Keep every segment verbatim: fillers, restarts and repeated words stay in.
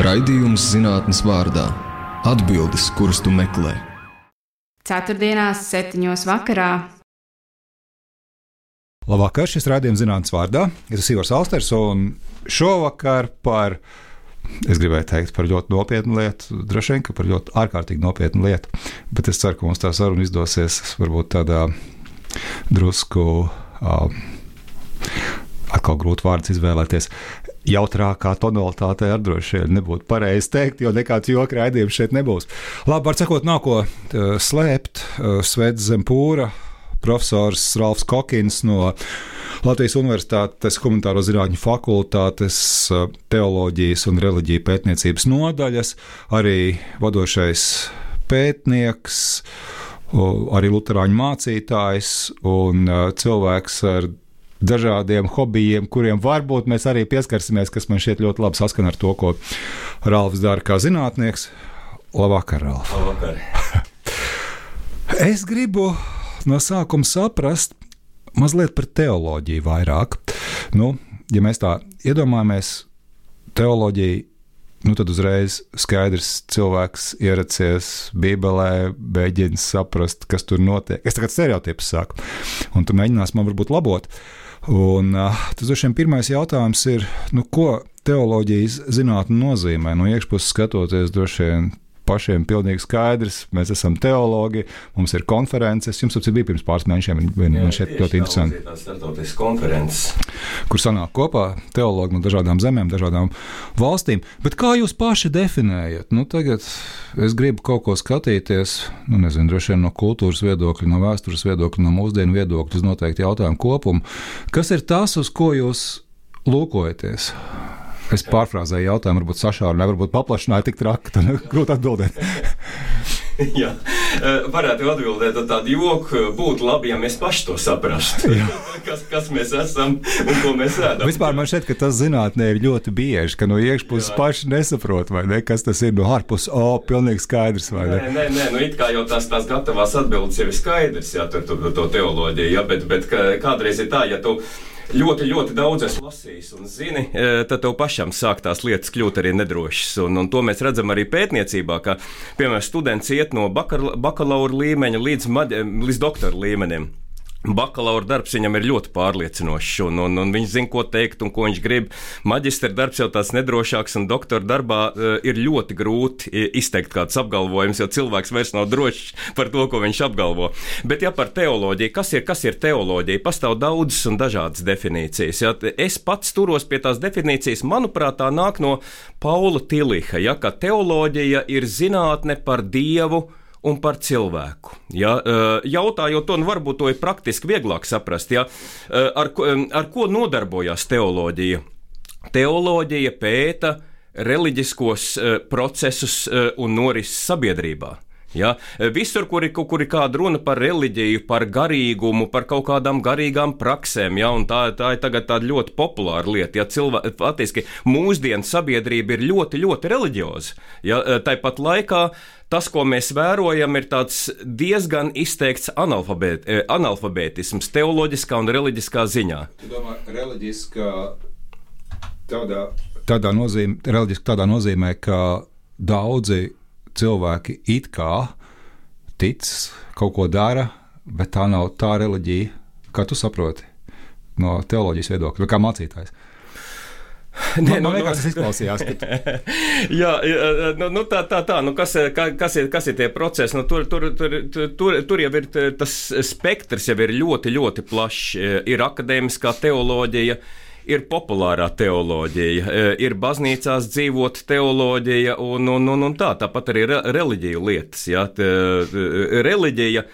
Raidījums zinātnes vārdā. Atbildes, kuras tu meklē. Ceturtdienās, septiņos vakarā. Labvakar, šis raidījums zinātnes vārdā. Es esmu Ivars Alsters, un šovakar par, es gribēju teikt, par ļoti nopietnu lietu, droši vien, ka par ļoti ārkārtīgi nopietnu lietu, bet es ceru, ka mums tā saruna izdosies varbūt tādā drusku, uh, atkal grūti vārdus izvēlēties, jautrākā tonalitātē ar droši vien nebūtu pareizi teikt, jo nekāds joka raidījums šeit nebūs. Labi, var sakot, nav ko uh, slēpt, uh, sveic zem pūra, profesors Ralfs Kokins no Latvijas Universitātes Humanitāro zinātņu fakultātes uh, teoloģijas un reliģiju pētniecības nodaļas, arī vadošais pētnieks, uh, arī luterāņu mācītājs un uh, cilvēks ar dažādiem hobijiem, kuriem varbūt mēs arī pieskarsimies, kas man šķiet ļoti labi saskan ar to, ko Ralfs dara kā zinātnieks. Labvakar, Ralf. Labvakar. Es gribu no sākuma saprast mazliet par teoloģiju vairāk. Nu, ja mēs tā iedomājamies teoloģiju, nu tad uzreiz skaidrs cilvēks ieracies Bībelē, mēģina saprast, kas tur notiek. Es tagad stereotipus saku, un tu mēģinās man varbūt labot. Un uh, tas droši vien pirmais jautājums ir, nu, ko teoloģijas zinātne nozīmē? No iekšpuses skatoties, droši vien pašiem pilnīgi skaidrs, mēs esam teologi, mums ir konferences, jums tas bija pirms pāris mēnešiem, man šeit ļoti interesanti. Jā, starptautiskas konferences. Kur sanāk kopā teologi no dažādām zemēm, dažādām valstīm. Bet kā jūs paši definējat? Nu, tagad es gribu kaut ko skatīties, nu, nezinu, droši vien no kultūras viedokļa, no vēstures viedokļa, no mūsdienu viedokļa, uz noteikti jautājumu kopumu. Kas ir tas, uz ko jūs lūkojaties? Es pārfrāzēju jautājumu, varbūt sašāru, varbūt paplašināju tik traki, tad grūti atbildēt. Jā, varētu atbildēt ar tādu joku, būtu labi, ja mēs paši to saprastu, kas, kas mēs esam un ko mēs ēdam. Vispār man šķiet, ka tas zinātnē ir ļoti bieži, ka no iekšpuses paši nesaprot, vai ne, kas tas ir, no ārpuses, o, pilnīgi skaidrs, vai ne? Nē, nē, nē, nu it kā jau tās, tās gatavās atbildes jau ir skaidrs, jā, to, to, to teoloģiju, jā, bet, bet kādreiz ir tā, ja tu ļoti, ļoti daudz esi lasījis un zini, tad tev pašam sāk tās lietas kļūt arī nedrošas. Un, un to mēs redzam arī pētniecībā, ka, piemēram, students iet no bakalaura līmeņa līdz, maģi, līdz doktora līmenim. Bakalaura darbs viņam ir ļoti pārliecinošs, un, un, un viņš zina, ko teikt un ko viņš grib. Maģistra darbs jau tāds nedrošāks, un doktora darbā uh, ir ļoti grūti izteikt kāds apgalvojums, jo cilvēks vairs nav drošs par to, ko viņš apgalvo. Bet ja par teoloģiju, kas ir, kas ir teoloģija? Pastāv daudzas un dažādas definīcijas. Ja? Es pats turos pie tās definīcijas, manuprāt, tā nāk no Paula Tiliha, ja? Ka teoloģija ir zinātne par Dievu un par cilvēku. Ja, jautājot to, nu varbūt to ir praktiski vieglāk saprast, ja, ar, ar ko nodarbojās teoloģija. Teoloģija pēta reliģiskos procesus un norises sabiedrībā. Ja, visur, kur ir, kur ir kāda runa par reliģiju, par garīgumu, par kaut kādām garīgām praksēm, ja, un tā, tā ir tagad tāda ļoti populāra lieta. Ja, cilvēki, attiski, mūsdienu sabiedrība ir ļoti, ļoti reliģioza. Ja, tāpat laikā tas, ko mēs vērojam, ir tāds diezgan izteikts analfabēt, analfabētisms teoloģiskā un reliģiskā ziņā. Tu domā, reliģiskā tādā, tādā, nozīmē, reliģiskā tādā nozīmē, ka daudzi cilvēki it kā tic, kaut ko dara, bet tā nav tā reliģija, kā tu saproti no teoloģijas viedokļa, kā mācītājs. Nē, nu, nu, tas izklausījās. Ka... Jā, nu, nu tā, tā, tā, nu kas, kas, ir, kas ir tie procesi? Nu, tur, tur, tur, tur, tur jau ir tas spektrs jau ir ļoti, ļoti plašs. Ir akadēmiskā teoloģija, ir populārā teoloģija, ir baznīcās dzīvot teoloģija un, un, un, un tā, tāpat arī reliģiju lietas. Ja? Reliģija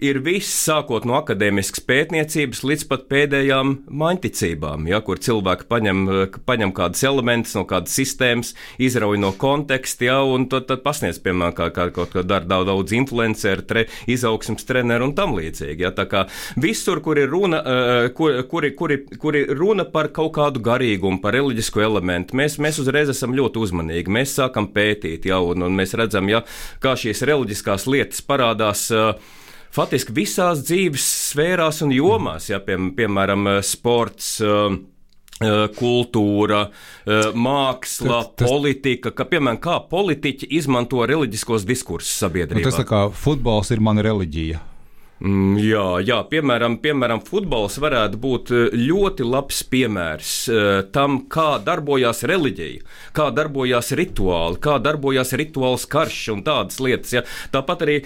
ir viss, sākot no akadēmiskas pētniecības līdz pat pēdējām maņticībām, ja, kur cilvēki paņem, paņem kādas elementus no kādas sistēmas, izrauj no konteksta, ja, un tad, tad pasniedz, piemēram, kā, kā kaut ko dara daudz, daudz influenceru, tre, izaugsmes treneru un tam līdzīgi. Ja, tā kā visur, kur ir runa, kur, kur, kur, kur ir runa par kaut kādu garīgumu, par reliģisku elementu, mēs, mēs uzreiz esam ļoti uzmanīgi. Mēs sākam pētīt, ja, un, un mēs redzam, ja, kā šīs reliģiskās lietas parādās faktiski visās dzīves sfērās un jomās, ja, pie, piemēram, sports, kultūra, māksla, tas, tas, politika, ka, piemēram, kā politiķi izmanto reliģiskos diskursus sabiedrībā. Tas tā kā futbols ir mana reliģija. Mm, jā, jā, piemēram, piemēram, futbols varētu būt ļoti labs piemērs tam, kā darbojās reliģija, kā darbojās rituāli, kā darbojās rituāls karš un tādas lietas. Ja. Tāpat arī,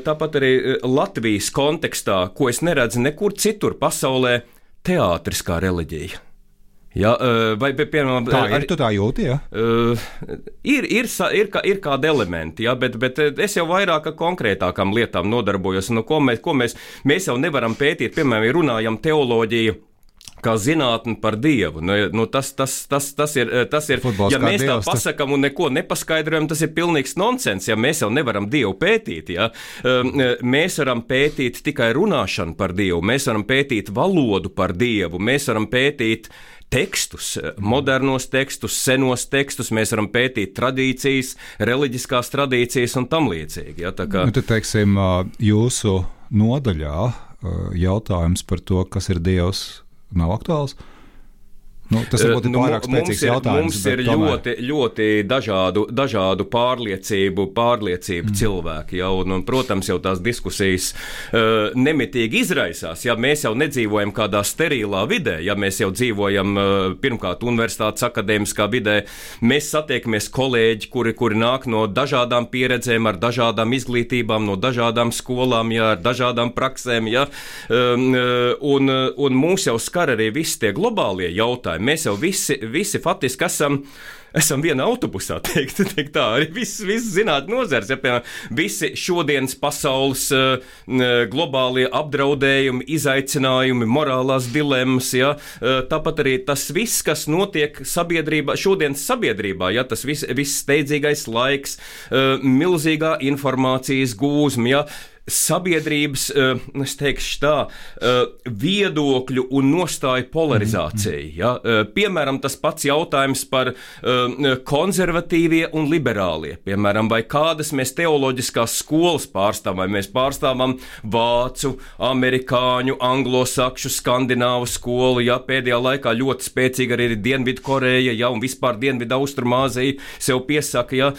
tāpat arī Latvijas kontekstā, ko es neredzu nekur citur pasaulē, teātris kā reliģija. Jā, vai, piemēram, tā ir, arī, tu tā jūti, jā? Uh, ir, ir, ir, kā, ir kādi elementi, jā, bet, bet es jau vairāk konkrētākām lietām nodarbojos, no ko mēs, ko mēs, mēs jau nevaram pētīt, piemēram, ja runājam teoloģiju, kā zinātni par Dievu. Nu, nu, tas, tas, tas, tas ir, tas ir Futbols ja mēs dievs, tā pasakam un neko nepaskaidrojam, tas ir pilnīgs nonsens, ja mēs jau nevaram Dievu pētīt. Ja? Mēs varam pētīt tikai runāšanu par Dievu, mēs varam pētīt valodu par Dievu, mēs varam pētīt tekstus, modernos tekstus, senos tekstus, mēs varam pētīt tradīcijas, reliģiskās tradīcijas un tam līdzīgi. Ja? Tā kā... Nu, tad, teiksim, jūsu nodaļā jautājums par to, kas ir Dievs, nav aktuāls? Nu, tas ir nu, pārāk spēcīgs jautājums. Mums ir ļoti, ļoti dažādu, dažādu pārliecību, pārliecību mm. cilvēki. Ja, un, un, protams, jau tās diskusijas uh, nemitīgi izraisās. Ja mēs jau nedzīvojam kādā sterilā vidē, ja mēs jau dzīvojam uh, pirmkārt universitātes akadēmiskā vidē, mēs satiekamies kolēģi, kuri, kuri nāk no dažādām pieredzēm, ar dažādām izglītībām, no dažādām skolām, ja, ar dažādām praksēm. Ja, um, un, un mūs jau skar arī visi tie globālie jautājumi. Mēs jau visi, visi faktiski esam, esam viena autobusā, teikt, teikt tā, arī viss, viss zināt nozars, ja, piemēram, visi šodienas pasaules uh, globālie apdraudējumi, izaicinājumi, morālās dilemmas, ja, uh, tāpat arī tas viss, kas notiek sabiedrībā, šodienas sabiedrībā, ja, tas viss, viss steidzīgais laiks, uh, milzīgā informācijas gūzma, ja, sabiedrības, es teikšu tā, viedokļu un nostāju polarizācija. Ja? Piemēram, tas pats jautājums par konservatīvie un liberālie. Piemēram, vai kādas mēs teoloģiskās skolas pārstāvam, vai mēs pārstāvam vācu, amerikāņu, anglosakšu, skandināvu skolu. Ja? Pēdējā laikā ļoti spēcīga arī ir Dienvidkoreja, ja? Un vispār Dienvidu Austrumāzija sev piesaka, ja?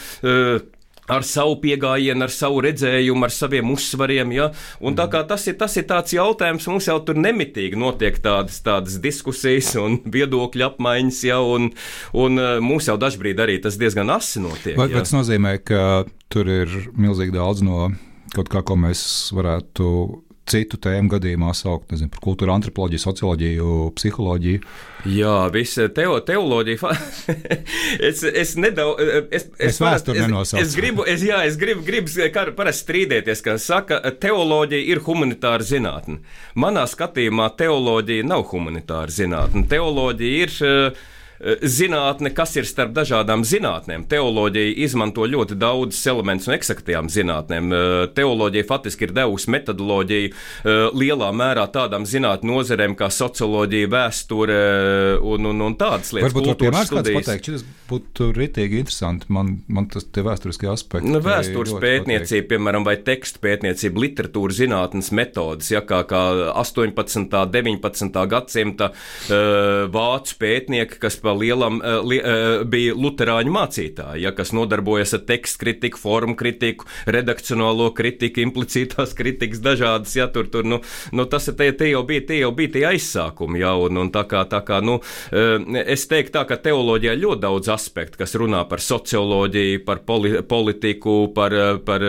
Ar savu piegājienu, ar savu redzējumu, ar saviem uzsvariem, ja? Un tā kā tas ir, tas ir tāds jautājums, mums jau tur nemitīgi notiek tādas, tādas diskusijas un viedokļu apmaiņas, ja? un, un mums jau dažbrīd arī tas diezgan asi notiek. Vai ja? Tas nozīmē, ka tur ir milzīgi daudz no kaut kā, ko mēs varētu citu tēmu gadījumā saukt, nezinu, par kultūru, antropoloģiju, socioloģiju, psiholoģiju? Jā, visa teo, teoloģija. es, es nedaudz. Es, es, es vēsturi nenosaucu. Es, es gribu, es, jā, es gribu, gribu parasti strīdēties, ka saka, teoloģija ir humanitāra zinātne. Manā skatījumā teoloģija nav humanitāra zinātne. Teoloģija ir zinātne, kas ir starp dažādām zinātnēm. Teoloģija izmanto ļoti daudz elementus no eksaktajām zinātnēm. Teoloģija faktiski ir devusi metodoloģiju lielā mērā tādām zinātņu nozerēm kā socioloģija, vēsture un, un, un tādas lietas. Varbūt var piemērs kāds pateikt, šis būtu ritīgi interesanti. Man, man tas tie vēsturiskie aspekti. Nu, vēstures pētniecība, piemēram, vai tekstu pētniecība, literatūra zinātnes metodas, ja, kā, kā astoņpadsmitā, deviņpadsmitā gadsimta vācu pētnieki, kas lielam li, bija luterāņu mācītāji, ja, kas nodarbojas ar tekstu kritiku, formu kritiku, redakcionālo kritiku, implicītās kritikas dažādas, ja, tur, tur, nu, nu tas te, te jau bija, te jau bija tie aizsākumi, ja, un, un tā kā, tā kā, nu, es teiktu tā, ka teoloģijā ļoti daudz aspektu, kas runā par socioloģiju, par poli, politiku, par, par,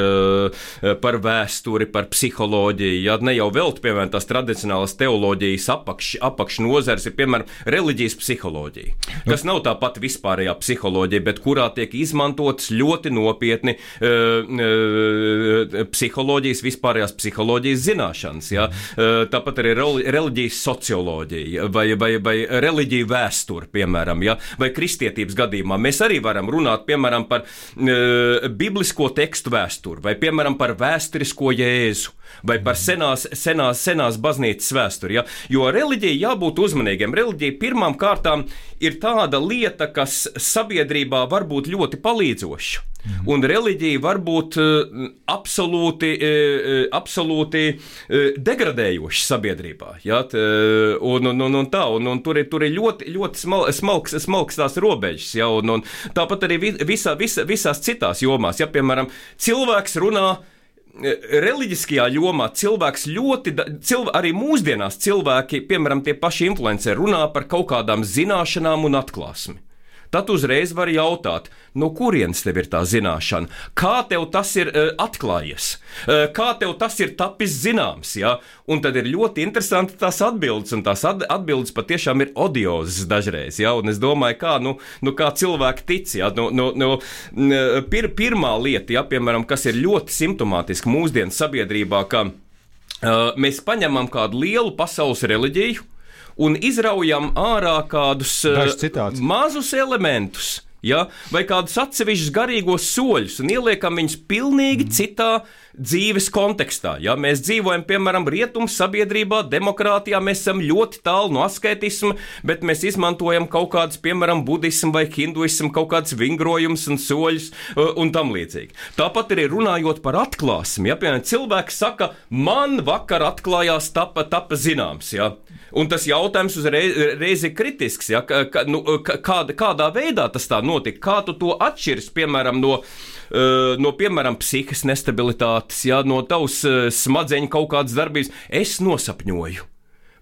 par vēsturi, par psiholoģiju, ja, ne jau vēl, piemēram, tās tradicionālas teoloģijas apakš, apakšnozars ir, piemēram, reliģijas psiholoģija. Kas nav tā pati vispārējā psiholoģija, bet kurā tiek izmantotas ļoti nopietni uh, uh, psiholoģijas, vispārējās psiholoģijas zināšanas. Ja? Uh, tāpat arī reliģijas socioloģija vai, vai, vai reliģija vēsture, piemēram, ja? Vai kristietības gadījumā. Mēs arī varam runāt, piemēram, par uh, biblisko tekstu vēsturi vai, piemēram, par vēsturisko Jēzu. Vai par senās, senās, senās baznīcas vēsturi. Ja? Jo reliģija jābūt uzmanīgiem. Reliģija pirmām kārtām ir ir tāda lieta, kas sabiedrībā var būt ļoti palīdzoša. Mm. Un reliģija var būt uh, absolūti, uh, absolūti uh, degradējoša sabiedrībā. Ja? T, uh, un, un, un, un tā, un, un tur ir, tur ir ļoti, ļoti smal, smalks, smalks tās robežas. Ja? Un, un tāpat arī visā, visā, visās citās jomās. Ja? Piemēram, cilvēks runā reliģiskajā jomā, cilvēks ļoti, cilv, arī mūsdienās cilvēki, piemēram, tie paši influenceri runā par kaut kādām zināšanām un atklāsmi. Tad uzreiz var jautāt, no kurienes tev ir tā zināšana, kā tev tas ir uh, atklājies, uh, kā tev tas ir tapis zināms, ja? Un tad ir ļoti interesanti tās atbildes, un tās atbildes patiešām ir odiozas dažreiz, ja? Un es domāju, kā, nu, nu, kā cilvēki tic, ja? nu, nu, nu, pir, pirmā lieta, ja, piemēram, kas ir ļoti simptomātiska mūsdienu sabiedrībā, ka uh, mēs paņemam kādu lielu pasaules reliģiju, un izraujam ārā kādus uh, mazus elementus, ja, vai kādus atsevišķus garīgos soļus, un ieliekam viņus pilnīgi mm. citā dzīves kontekstā. Ja. Mēs dzīvojam, piemēram, rietumu sabiedrībā, demokrātijā, mēs esam ļoti tālu no asketisma, bet mēs izmantojam kaut kādus, piemēram, budismu vai hinduismu, kaut kādus vingrojumus un soļus uh, un tam līdzīgi. Tāpat arī runājot par atklāsmi, ja, piemēram, cilvēks saka, man vakar atklājās tapa, tapa zināms, ja. Un tas jautājums uzreiz ir kritisks, ja? Ka, nu, kāda, kādā veidā tas tā notika, kā tu to atšķirs, piemēram, no, no piemēram, psihiskas nestabilitātes, ja? No tavas smadzeņu kaut kādas darbības. Es nosapņoju.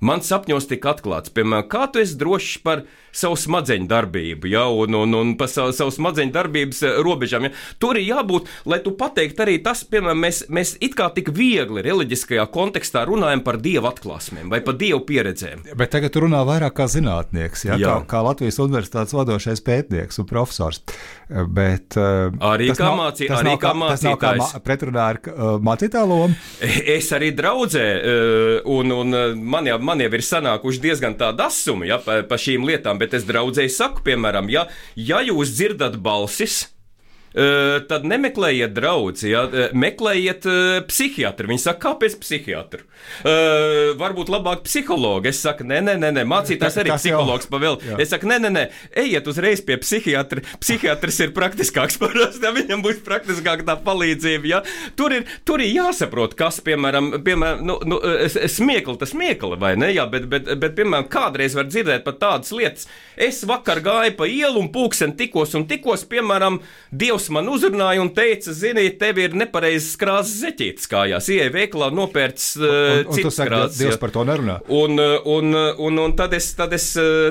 Man sapņos tika atklāts, piemēram, kā tu esi drošs par savu smadzeņu darbību, ja, un, un, un par savu, savu smadzeņu darbības robežām. Ja. Tur ir jābūt, lai tu pateikt arī tas, piemēram, mēs, mēs it kā tik viegli reliģiskajā kontekstā runājam par dievu atklāsmēm vai par dievu pieredzēm. Bet tagad tu runā vairāk kā zinātnieks, ja, kā, kā Latvijas universitātes vadošais pētnieks un profesors. Bet, arī kā, nav, mācī, arī nav, kā mācītājs. Tas nav kā ma- pretrunā ar uh, mācītāju lomu? Es arī draudzē, uh, un, un man, jau, man jau ir sanākuši diezgan tāda asuma, ja, pa, pa šīm lietām, bet es draudzēji saku, piemēram, ja, ja jūs dzirdat balsis, Uh, tad nemeklējiet draudzi, ja? Meklējiet uh, psihiatru. Viņi saka, kāpēc psihiatru? Uh, varbūt labāk psihologu. Es saku, nē, nē, nē, mācītājs arī psihologs pavēl. Es saku, nē, nē, nē, ejiet uzreiz pie psihiatra. Psihiatrs ir praktiskāks parasti, ja? Viņam būs praktiskāk tā palīdzība. Ja? Tur, ir, tur ir jāsaprot, kas, piemēram, piemēram nu, nu, smiekli, tas smiekli, vai ne? Ja? Bet, bet, bet, piemēram, kādreiz var dzirdēt pat tādas lietas. Es vakar gāju pa ielu un pulksten tikos un tikos, piemēram, Dievs man uzrunāja un teica, zini, tev ir nepareizas krāsas zeķītes kājās. Ieej veikalā, nopērc uh, citas krāsas. Dievs par to nerunā. Un, un, un, un tad, es, tad, es,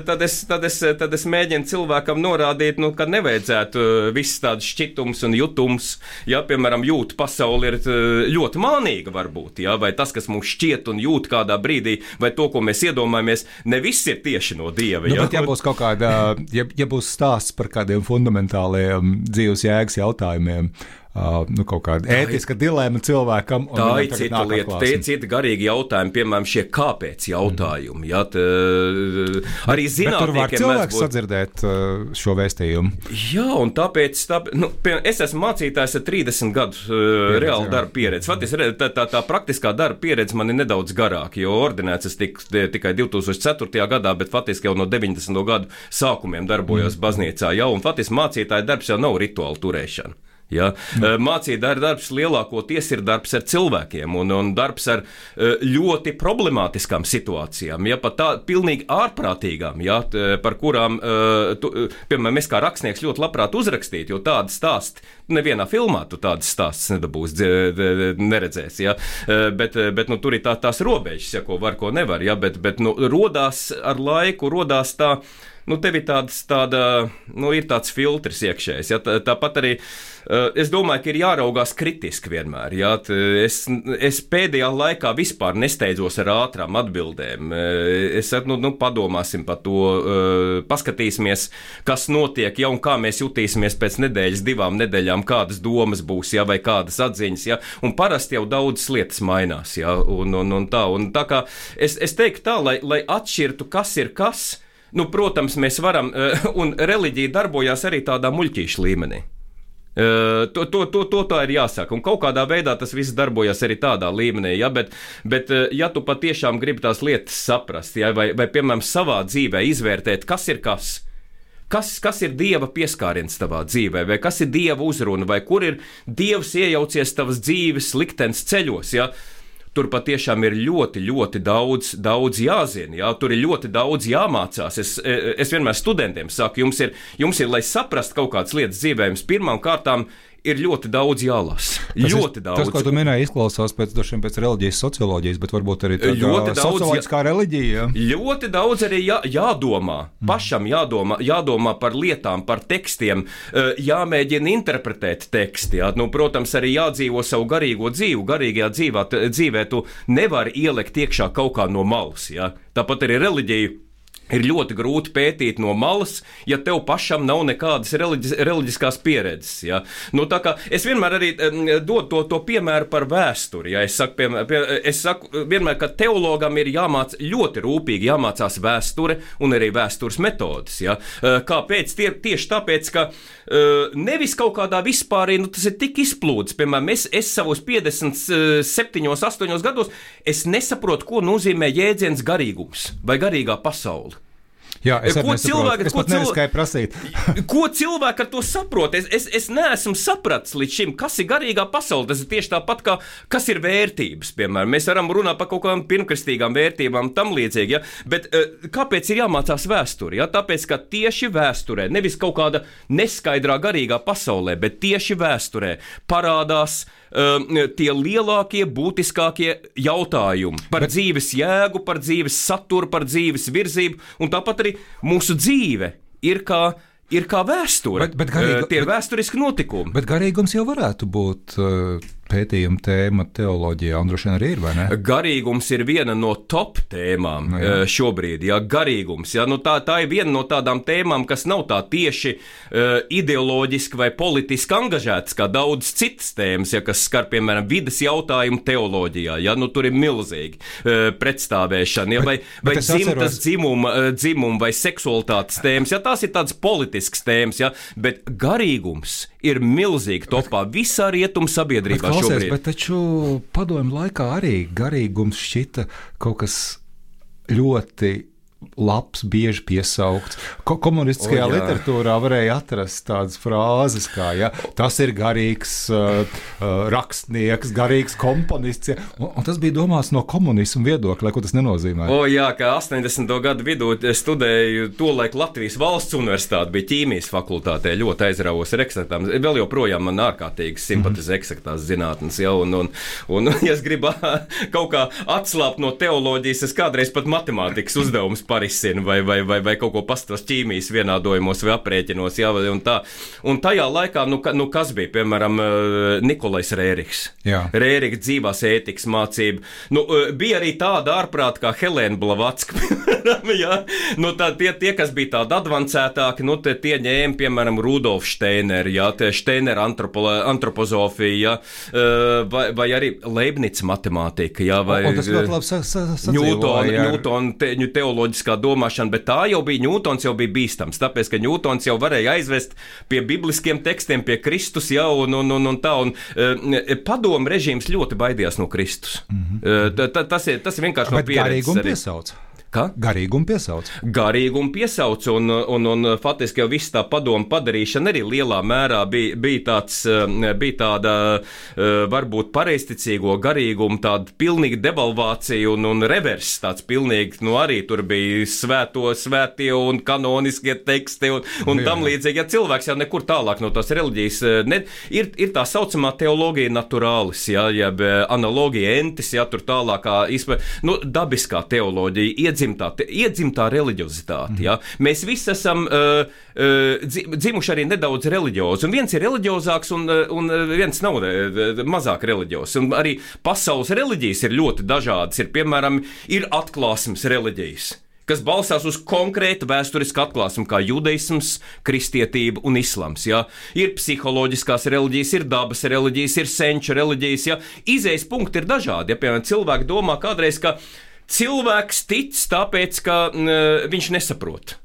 tad, es, tad, es, tad es mēģinu cilvēkam norādīt, nu, ka nevajadzētu viss tāds šķitums un jutums. Ja, piemēram, jūtu pasauli ir ļoti mānīga varbūt, ja, vai tas, kas mums šķiet un jūt kādā brīdī, vai to, ko mēs iedomājamies, ne viss ir tieši no Dieva. Nu, ja, bet ja būs kaut kāda, ja, ja būs stāsts par kādiem fundamentāliem dzīves jēgas jautājumiem, uh, nu, kaut kāda ētiska dilēma cilvēkam. Tā ir cita lieta, tie ir citi garīgi jautājumi, piemēram, šie kāpēc jautājumi. Mm. Ja, t, arī zinātniekiem. Bet tur var cilvēks būt... sadzirdēt uh, šo vēstījumu. Jā, un tāpēc, tāpēc nu, piemēram, es esmu mācītājs ar trīsdesmit gadu uh, reāli darba pieredzi. Faktiski tā, tā, tā praktiskā darba pieredze man ir nedaudz garāka, jo ordinēts es tik, tikai divi tūkstoši ceturtajā gadā, bet faktiski jau no deviņdesmito gadu sākumiem darbojos mm. baznīcā. Jau, un faktiski mācītāja darbs jau nav rituāla turēšana. Ja? Mm. Mācītāja darbs lielākoties ir darbs ar cilvēkiem un, un darbs ar ļoti problemātiskām situācijām, ja? Pat tā pilnīgi ārprātīgām, ja? Par kurām, tu, piemēram, es kā rakstnieks ļoti labprāt uzrakstītu, jo tādi stāsti, nevienā filmā tu tādas stāstus nedabūs, neredzēs, ja? bet, bet nu, tur ir tā, tās robežas, ja? Ko var, ko nevar, ja? bet, bet nu, rodās ar laiku, rodās tā, nu, tev ir tāds, tāda, nu, ir tāds filtrs iekšējs. Ja? Tā, tāpat arī uh, es domāju, ka ir jāraugās kritiski vienmēr. Ja? Es, es pēdējā laikā vispār nesteidzos ar ātrām atbildēm. Es nu, nu, padomāsim par to, uh, paskatīsimies, kas notiek, ja, un kā mēs jutīsimies pēc nedēļas, divām nedēļām, kādas domas būs, ja, vai kādas atziņas. Ja? Un parasti jau daudzas lietas mainās. Ja? Un, un, un tā, un tā kā es, es teiktu tā, lai, lai atšķirtu, kas ir kas. Nu, protams, mēs varam, un reliģija darbojās arī tādā muļķīša līmenī. To, to, to, to tā ir jāsaka, un kaut kādā veidā tas viss darbojas arī tādā līmenī, ja, bet, bet ja tu patiešām gribi tās lietas saprast, ja, vai, vai, piemēram, savā dzīvē izvērtēt, kas ir kas, Kas, kas ir Dieva pieskāriens tavā dzīvē, vai kas ir Dieva uzruna, vai kur ir Dievs iejaucies tavas dzīves liktenes ceļos, ja? Tur patiešām ir ļoti, ļoti daudz, daudz jāzina, ja? Tur ir ļoti daudz jāmācās. Es, es vienmēr studentiem saku, jums ir, jums ir, lai saprast kaut kādas lietas dzīvē, jums pirmām kārtām ir ļoti daudz jālasa. Ļoti daudz. Tas, ko tu minēji, izklausās pēc, pēc reliģijas socioloģijas, bet varbūt arī tāda socioloģiskā jā, reliģija. Ļoti daudz arī jā, jādomā. Mm. Pašam jādomā, jādomā par lietām, par tekstiem, jāmēģina interpretēt teksti. Jā. Nu, protams, arī jādzīvo savu garīgo dzīvu. Garīgajā dzīvā, dzīvē tu nevari ielikt iekšā kaut kā no malas. Jā. Tāpat arī reliģiju ir ļoti grūti pētīt no malas, ja tev pašam nav nekādas reliģis, reliģiskās pieredzes. Ja? Nu, tā kā es vienmēr arī dodu to, to piemēru par vēsturi. Ja? Es, saku, pie, pie, es saku vienmēr, ka teologam ir jāmāc ļoti rūpīgi jāmācās vēsture un arī vēstures metodas. Ja? Kāpēc? Tie, tieši tāpēc, ka nevis kaut kādā vispārī, nu, tas ir tik izplūdes. Piemēram, es, es savos piecdesmit septiņos, astoņos gados, es nesaprotu, ko nozīmē jēdziens garīgums vai garīgā pasaule. Jā, es ko cilvēki, es pat neriskēju prasīt. Ko cilvēki ar to saprot? Es, es, es neesmu sapratis līdz šim, kas ir garīgā pasaule. Tas ir tieši tāpat, kā kas ir vērtības, piemēram. Mēs varam runāt par kaut kādām pirmkristīgām vērtībām, tam līdzīgi, ja? Bet kāpēc ir jāmācās vēsture? Ja? Tāpēc, ka tieši vēsturē, nevis kaut kāda neskaidrā garīgā pasaulē, bet tieši vēsturē parādās um, tie lielākie, būtiskākie jautājumi par bet... dzīves jēgu, par dzīves saturu, par dzīves virzību, un tāpat arī mūsu dzīve ir kā, ir kā vēsture. Bet, bet garīga, tie ir bet, vēsturiski notikumi. Bet garīgums jau varētu būt uh, pētījuma tēma teoloģijā, un droši vien arī ir, vai ne? Garīgums ir viena no top tēmām no, jā. šobrīd. Jā, garīgums. Jā, nu tā, tā ir viena no tādām tēmām, kas nav tā tieši uh, ideoloģiski vai politiski angažētas, kā daudz citas tēmas, ja, kas skar, piemēram, vides jautājumu teoloģijā. Jā, nu tur ir milzīgi uh, pretstāvēšana, ja, vai, bet, vai dzimtas dzimuma, uh, dzimuma vai seksualitātes tēmas. Jā, tās ir tādas politiskas tēmas, jā, bet garīgums ir milzīgi topā visā rietumu sabiedrībā. Klausies, bet taču padomju laikā arī garīgums šķita kaut kas ļoti labs, bieži piesaukts. Ko- komunistiskajā o, literatūrā varēja atrast tādas frāzes kā, ja, tas ir garīgs uh, uh, rakstnieks, garīgs komponists, ja, un, un tas bija domāts no komunismu viedokļa, ko tas nenozīmē. O jā, ka astoņdesmito gadu vidū studēju tolaik Latvijas valsts universitāte, bija ķīmijas fakultātē, ļoti aizrāvos ar eksaktām. Vēl joprojām man ārkārtīgi simpatizē eksaktās zinātnes, ja, un, un, un, ja es gribu kaut kā atslāpt no teoloģijas, es kādreiz pat matemātikas uzdevumus parisinu vai, vai, vai, vai kaut ko pastos ķīmijas vienādojumos vai aprēķinos, jā, un tā. Un tajā laikā, nu, ka, nu kas bija, piemēram, Nikolais Rērichs. Jā. Rērichs dzīvās ētikas mācība. Nu, bija arī tāda ārprāta kā Helēna Blavatska, jā. Nu, tā, tie, tie, kas bija tādi advancētāki, nu, tie, tie ņēma, piemēram, Rudolf Steiner, jā, tie Steiner antropo, antropozofija, jā, vai, vai arī Leibnica matemātika, jā, vai o, o, tas ļoti labi sa, sa, Newton, Newton te, teoloģiskā domāšana, bet tā jau bija, Ņūtons jau bija bīstams, tāpēc, ka Ņūtons jau varēja aizvest pie bibliskiem tekstiem, pie Kristus jau, un, un, un, un tā, un e, padomu režīms ļoti baidījās no Kristus. Mm-hmm. e, t, tas, ir, tas ir vienkārši no pieredzes. Bet garīgumu piesauc. Kā? Garīgumu piesauc. Garīgumu piesauc, un, un, un faktiski jau viss tā padomu padarīšana arī lielā mērā bija, bija, tāds, bija tāda varbūt pareizticīgo garīgumu, tāda pilnīga devalvācija un, un revers, tāds pilnīgi, nu arī tur bija svēto, svētie un kanoniskie teksti un, un tam līdzīgi. Ja cilvēks jau nekur tālāk no tās reliģijas, ne, ir, ir tā saucamā teoloģija naturālis, ja, jeb analogija entis, ja, tur tālākā, izpē, nu, dabiskā teoloģija, iedzīvot Iedzimtā, iedzimtā reliģiozitāte. Ja? Mēs visi esam uh, uh, dzimuši arī nedaudz reliģiozi. Un viens ir reliģiozāks, un, un viens nav mazāk reliģios. Un arī pasaules reliģijas ir ļoti dažādas. Ir, piemēram, ir atklāsmes reliģijas, kas balstās uz konkrētu vēsturisku atklāsmu, kā judaisms, kristietība un islams. Ja? Ir psiholoģiskās reliģijas, ir dabas reliģijas, ir senču reliģijas. Ja? Izejas punkti ir dažādi. Ja? Piemēram, cilvēki domā kādreiz, ka cilvēks tic tāpēc, ka uh, viņš nesaprot.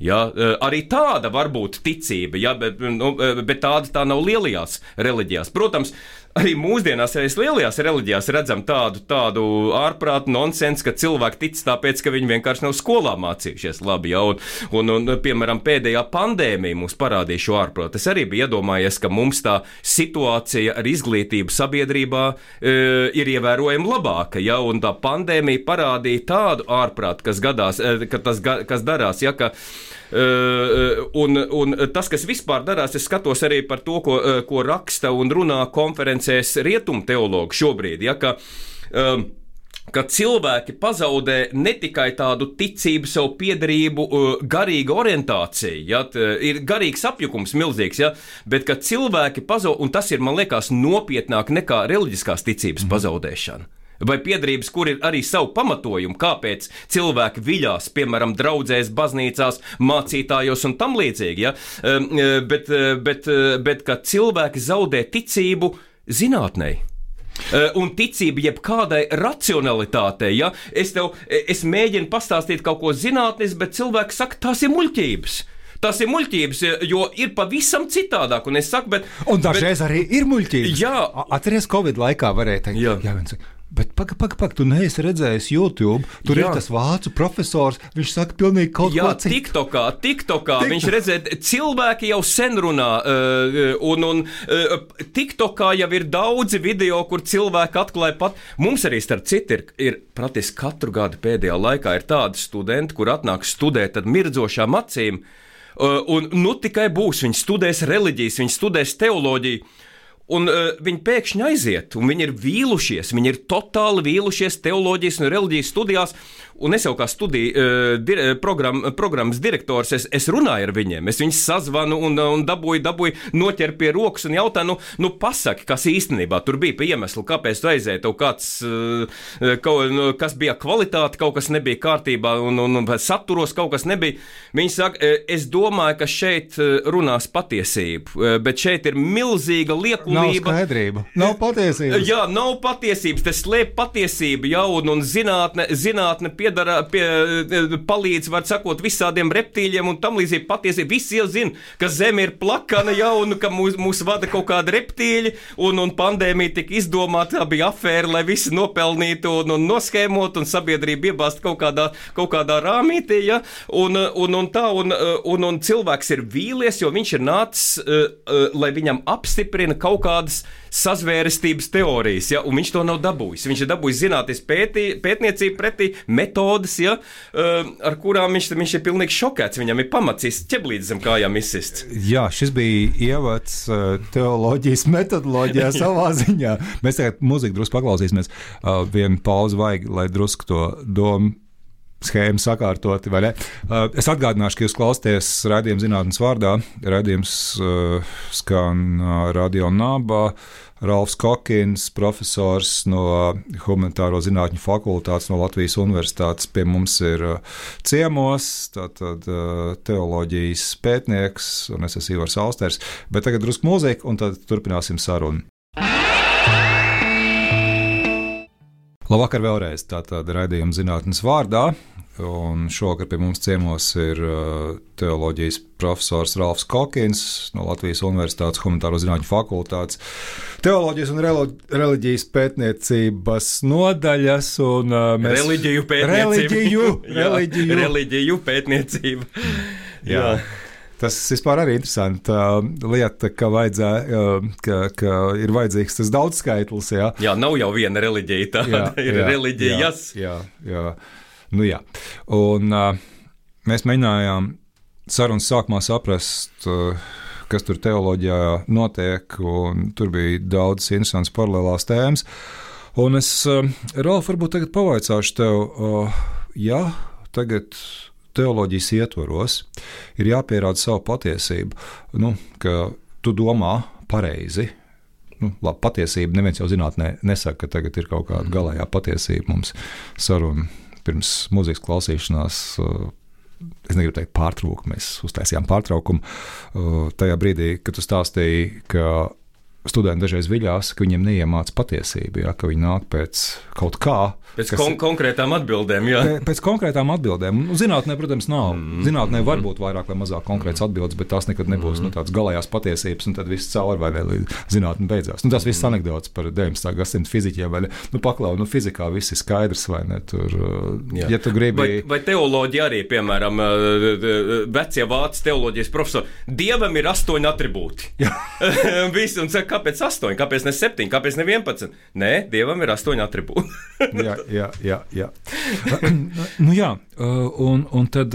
Ja, uh, arī tāda var būt ticība, ja, bet, nu, bet tāda tā nav lielajās reliģijās. Protams, arī mūsdienās, arī lielajās reliģijās redzam tādu, tādu ārprātu nonsensu, ka cilvēki tic tāpēc, ka viņi vienkārši nav skolā mācījušies labi. Ja? Un, un, un, piemēram, pēdējā pandēmija mums parādīja šo ārprātu. Es arī biju iedomājies, ka mums tā situācija ar izglītību sabiedrībā e, ir ievērojami labāka. Ja? Un tā pandēmija parādīja tādu ārprātu, kas, gadās, e, ka tas, kas darās, ja? Ka Uh, un, un tas, kas vispār darās, es skatos arī par to, ko, uh, ko raksta un runā konferencēs rietumu teologi šobrīd, ja, ka, uh, ka cilvēki pazaudē ne tikai tādu ticību, savu piederību, uh, garīgu orientāciju, ja, t, ir garīgs apjukums milzīgs, ja, bet ka cilvēki pazaudē, un tas ir, man liekas, nopietnāk nekā reliģiskās ticības mm. pazaudēšana. Vai piederības, kur ir arī savu pamatojumu, kāpēc cilvēki viļās, piemēram, draudzēs, baznīcās, mācītājos un tam līdzīgi, ja? bet, bet, bet ka cilvēki zaudē ticību zinātnei. Un ticība jebkādai racionalitātei, ja? Es tev, es mēģinu pastāstīt kaut ko zinātnes, bet cilvēki saka, tās ir muļķības. Tas ir muļķības, jo ir pavisam citādāk, un es saku, bet... Un dažreiz bet, arī ir muļķības. Jā. Atceries, Covid laikā varēja teikt, jā, jā viens saka, bet paga, paga, paga, tu neesi redzējis YouTube, tur jā. Ir tas vācu profesors, viņš saka pilnīgi kaut jā, ko citu. TikTokā, TikTokā, Tik... viņš redzēja, cilvēki jau sen runā, un, un TikTokā jau ir daudzi video, kur cilvēki atklāja pat, mums arī starp citu ir, ir praktiski katru gadu pēdējā laikā ir tādi studenti, kur atnāk studēt tad mirdzošām acīm, un nu tikai būs, viņi studēs reliģijas, viņi studēs teoloģiju, un uh, viņi pēkšņi aiziet, un viņi ir vīlušies, viņi ir totāli vīlušies teoloģijas un reliģijas studijās, un es jau kā studiju uh, dir, program, programmas direktors, es, es runāju ar viņiem, es viņus sazvanu un, un dabūju, dabūju noķer pie rokas un jautāju, nu, nu pasaki, kas īstenībā tur bija pa iemeslu, kāpēc tu aizēji, tev kāds, uh, kaut, nu, kas bija kvalitāte, kaut kas nebija kārtībā, un, un, un saturos kaut kas nebija. Viņi saka, es domāju, ka šeit runās patiesību, bet šeit ir milzīga liekulība. Nav skaidrība, nav patiesības. Jā, nav patiesības, tas slēp patiesību, jā, un, un zinātne, zinātne piedara, pie, palīdz, var sakot, visādiem reptīļiem un tam līdzīgi patiesība. Visi jau zina, ka Zeme ir plakana, jā, un ka mūs, mūs vada kaut kādi reptīļi, un, un pandēmija tika izdomāta, tā bija afēra, lai visi nopelnītu un, un noskēmot, un sabiedrība iebāzt kaut kādā, kaut kādā rāmītī, jā, un, un, un tā, un, un, un cilvēks ir vīlies, jo viņš ir nācis, lai viņam apstiprina kaut kā kādas sazvērestības teorijas, ja, un viņš to nav dabūjis. Viņš ir dabūjis zinātnes pētī, pētniecību pretī metodas, ja, ar kurām viņš, viņš ir pilnīgi šokēts. Viņam ir pamats ķeblītis zem kājām izsists. Jā, šis bija ievads teoloģijas metodoloģijā savā ziņā. Mēs tagad muziku drusku paklausīsimies. Vienu pauzi vajag, lai drusku to domu schēmu sakārtoti, vai ne? Es atgādināšu, ka jūs klausāties raidījuma zinātnes vārdā. Raidījums uh, skan uh, Radio Nabā. Ralfs Kokins, profesors no Humanitāro zinātņu fakultātes no Latvijas Universitātes, pie mums ir uh, ciemos, tātad uh, teoloģijas pētnieks, un es esmu Ivars Austers. Bet tagad drusku mūzika, un tad turpināsim sarunu. Labvakar vēlreiz, tātad raidījuma zinātnes vārdā, un šovakar pie mums ciemos ir uh, teoloģijas profesors Ralfs Kokins no Latvijas Universitātes Humanitāro zinātņu fakultātes, teoloģijas un reliģijas pētniecības nodaļas un uh, mēs... Reliģiju pētniecība. Reliģiju, reliģiju. Jā, reliģiju pētniecība. Jā. Jā. Tas vispār arī interesanti lieta, ka, vajadzē, ka, ka ir vajadzīgs tas daudzskaitlis. Jā, jā nav jau viena reliģija, tā jā, ir jā, reliģijas. Jā, jā, jā. Nu, jā. Un mēs mēģinājām sarunas sākumā saprast, kas tur teoloģijā notiek, un tur bija daudz interesants paralēlās tēmas. Un es, Ralf, varbūt tagad pavaicāšu tev, jā, tagad teoloģijas ietvaros ir jāpierāda savu patiesību, nu, ka tu domā pareizi. Nu, labi, patiesība neviens jau zinātnē nesaka, ka tagad ir kaut kāda galējā patiesība. Mums saruna pirms mūzikas klausīšanās, es negribu teikt pārtraukumu, mēs uztaisījām pārtraukumu tajā brīdī, kad tu stāstīji, ka studenti dažreiz viļās, ka viņiem neiemāca patiesību, ja, ka viņi nāk pēc kaut kā. Pēc kon konkrētām atbildēm, jā. Pēc konkrētām atbildēm. Nu, zinātnē, protams, nav. Mm. Zinātnē var būt vairāk vai mazāk konkrētas atbildes, bet tās nekad nebūs mm. nu, tādas galējās patiesības, un tad viss cauri vai vēl zinātne beidzās. Nu, tas viss anekdots par deviņpadsmitā gadsimta fiziķiem, vai ne? Nu, paklau, nu, fizikā viss ir skaidrs, vai ne? Tur, jā. Ja tu gribi... Vai, vai teoloģija arī, piemēram, vecie vācu teoloģijas profesori, Dievam ir astoņi atribūti. Visi, un saka, kāpēc astoņi, kāpēc ne septiņi, kāpēc ne vienpadsmit? Nē, Dievam ir astoņi atribūti. jā, jā, jā, jā. nu jā, un, un tad,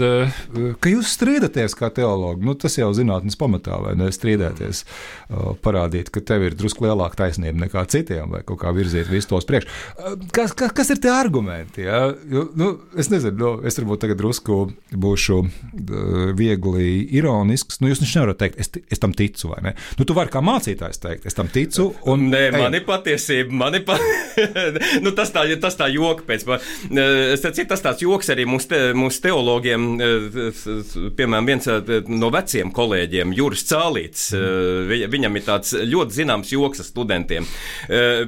ka jūs strīdaties kā teologi, nu tas jau zinātnes pamatā, vai ne, strīdēties, parādīt, ka tev ir drusku lielāka taisnība nekā citiem, vai kaut kā virzīt visu tos priekš. Kas, kas, kas ir tie argumenti, jā? Nu, es nezinu, nu, es varbūt tagad drusku būšu viegli ironisks, nu jūs viņš nevarat teikt, es, es tam ticu, vai ne? Nu tu vari kā mācītājs teikt, es tam ticu, un... Nē, man ir patiesība, man ir pa... nu, tas tā, tas tā joka pēc. Es teicu, tas tāds joks arī mūsu te, mūsu teologiem, piemēram, viens no veciem kolēģiem, Juris Cālīts, mm. viņam ir tāds ļoti zināms joks ar studentiem.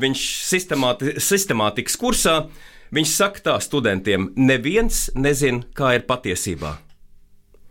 Viņš sistemāti, sistemātikas kursā, viņš saka tā studentiem, neviens nezin, kā ir patiesībā.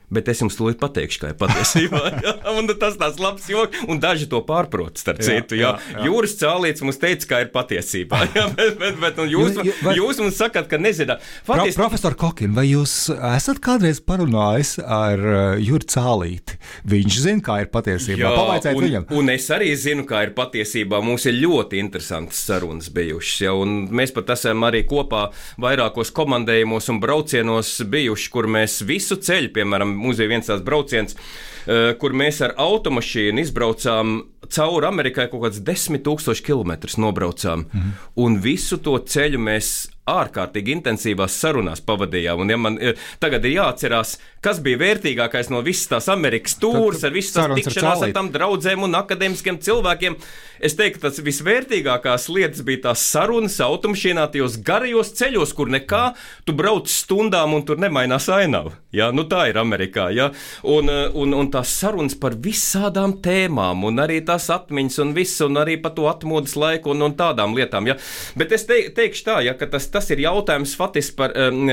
Bet es jums tūlīt pateikšu, kā ir patiesībā. Jā, un tas tāds labs joks, un daži to pārprot, starp citu. Jā, jā, jā. Juris Cālīts mums teica, kā ir patiesībā. Jā, bet, bet, bet jūs, vai, jūs mums sakat, ka nezināt. Patiesi... Pro, profesor Kokin, vai jūs esat kādreiz parunājis ar Juri Cālīti? Viņš zina, kā ir patiesībā. Pavaicēt un, viņam. Un es arī zinu, kā ir patiesībā. Mums ir ļoti interesantas sarunas bijušas. Ja, un mēs pat esam arī kopā vairākos komandējumos un braucienos bijuši, kur mēs visu ceļu, piemēram, mums bija viens tās brauciens, kur mēs ar automašīnu izbraucām cauri Amerikai kaut kāds desmit tūkstoši kilometrus nobraucām. Mm-hmm. Un visu to ceļu mēs ārkārtīgi intensīvās sarunās pavadījām. Un ja man tagad ir jāatcerās, kas bija vērtīgākais no visas tās Amerikas tūras, ar visas tās tikšanās ar tām draudzēm un akadēmiskiem cilvēkiem, es teiktu, tas visvērtīgākās lietas bija tās sarunas automašīnā, tajos garajos ceļos, kur nekā, tu brauc stundām un tur nemainās ainava. Ja? Nu tā ir Amerikā. Ja? Un, un, un tās sarunas par visādām tēmām, un arī tās atmiņas un viss, un arī par to atmodas laiku un, un tādām lietām. Ja? Bet es te, teikšu tā, ja, ka tas Tas ir jautājums faktiski par,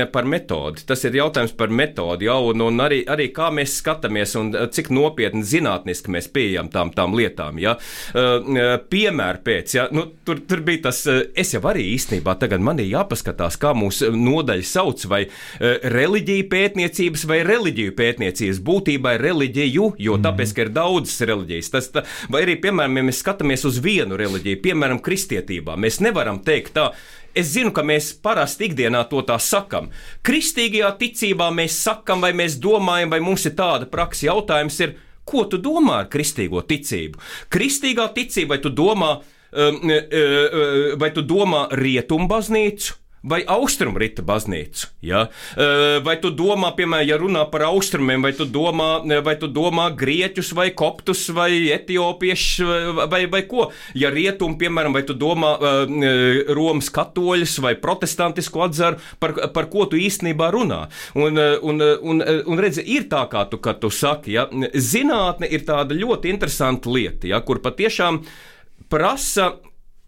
par metodi. Tas ir jautājums par metodi, ja, un, un arī, arī kā mēs skatāmies un cik nopietni zinātniski mēs pieejam tām, tām lietām. Ja. Piemēr pēc, ja, nu, tur, tur bija tas, es jau arī īstenībā tagad man ir jāpaskatās, kā mūsu nodaļa sauc, vai reliģija pētniecības vai reliģiju pētniecības. Būtībā ir reliģiju, jo tāpēc, ka ir daudzas reliģijas. Tas, tā, vai arī, piemēram, ja mēs skatāmies uz vienu reliģiju, piemēram, kristietībā, mēs nevaram teikt tā. Es zinu, ka mēs parasti ikdienā to tā sakam. Kristīgajā ticībā mēs sakam, vai mēs domājam, vai mums ir tāda praksa. Jautājums ir, ko tu domā ar kristīgo ticību? Kristīgā ticība, vai tu domā, vai tu domā rietumbaznīcu? Vai austrumrita baznīcu, ja? Vai tu domā, piemēram, ja runā par austrumiem, vai tu domā, vai tu domā grieķus, vai koptus, vai etiopiešus, vai, vai ko? Ja rietum, piemēram, vai tu domā Romas katoļus, vai protestantisku atzaru, par, par ko tu īstenībā runā? Un, un, un, un redzi, ir tā, kā tu, kā tu saki, ja? Zinātne ir tāda ļoti interesanta lieta, ja? Kur patiešām prasa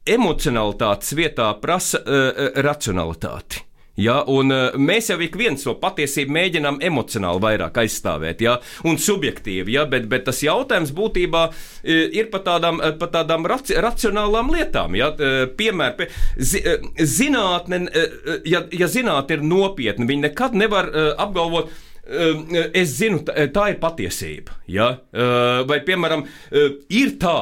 emocionalitātes vietā prasa uh, racionalitāti. Ja, un uh, mēs jau ik viens to patiesību mēģinām emocionāli vairāk aizstāvēt, ja, un subjektīvi, ja, bet, bet tas jautājums būtībā uh, ir par tādām, uh, par tādām raci, racionālām lietām. Ja, uh, piemēr, pie, zi, uh, zinātne, uh, ja, ja zinātne ir nopietna, viņi nekad nevar uh, apgalvot, uh, es zinu, tā, tā ir patiesība. Ja, uh, vai, piemēram, uh, ir tā.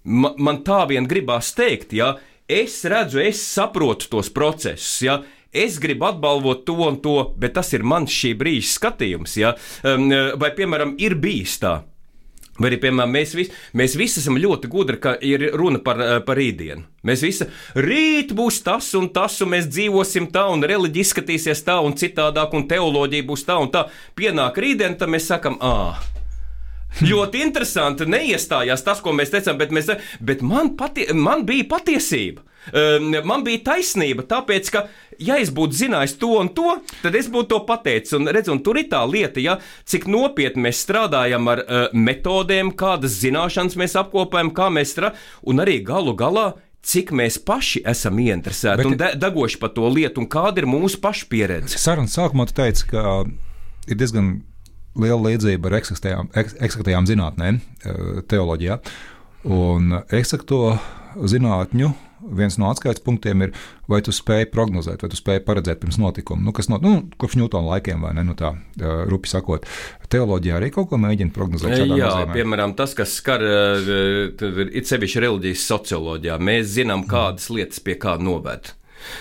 Man, man tā vien gribās teikt, ja, es redzu, es saprotu tos procesus, ja, es gribu atbalvot to un to, bet tas ir mans šī brīža skatījums, ja, vai, piemēram, ir bijis tā, vai arī, piemēram, mēs visi, mēs visi esam ļoti gudri, ka ir runa par, par rītdienu. Mēs visi, rīt būs tas un tas, un mēs dzīvosim tā, un reliģija izskatīsies tā un citādāk, un teoloģija būs tā un tā. Pienāk rītdiena, tad mēs sakam, ā, Ļoti interesanti, neiestājās tas, ko mēs teicām, bet, mēs, bet man, patie, man bija patiesība. Man bija taisnība, tāpēc, ka, ja es būtu zinājis to un to, tad es būtu to pateicis. Un, redz, un tur ir tā lieta, ja, cik nopietni mēs strādājam ar uh, metodēm, kādas zināšanas mēs apkopējam, kā mēs strādājam, un arī galu galā, cik mēs paši esam ieinteresēti Bet, un de- degoši par to lietu, un kāda ir mūsu paša pieredze. Sarunas sākumā tu teici, ka ir diezgan liela līdzība ar eksaktējām, eksaktējām zinātnēm teoloģijā, un eksakto zinātņu viens no atskaites punktiem ir, vai tu spēj prognozēt, vai tu spēj paredzēt pirms notikuma. Nu, kas no, nu, kopš Ņūtona laikiem, vai ne, nu tā, rupi sakot. Teoloģijā arī kaut ko mēģina prognozēt šādā Jā, nozīmē. Piemēram, tas, kas skar it sevišķi reliģijas socioloģijā, mēs zinām, kādas lietas pie kā noved.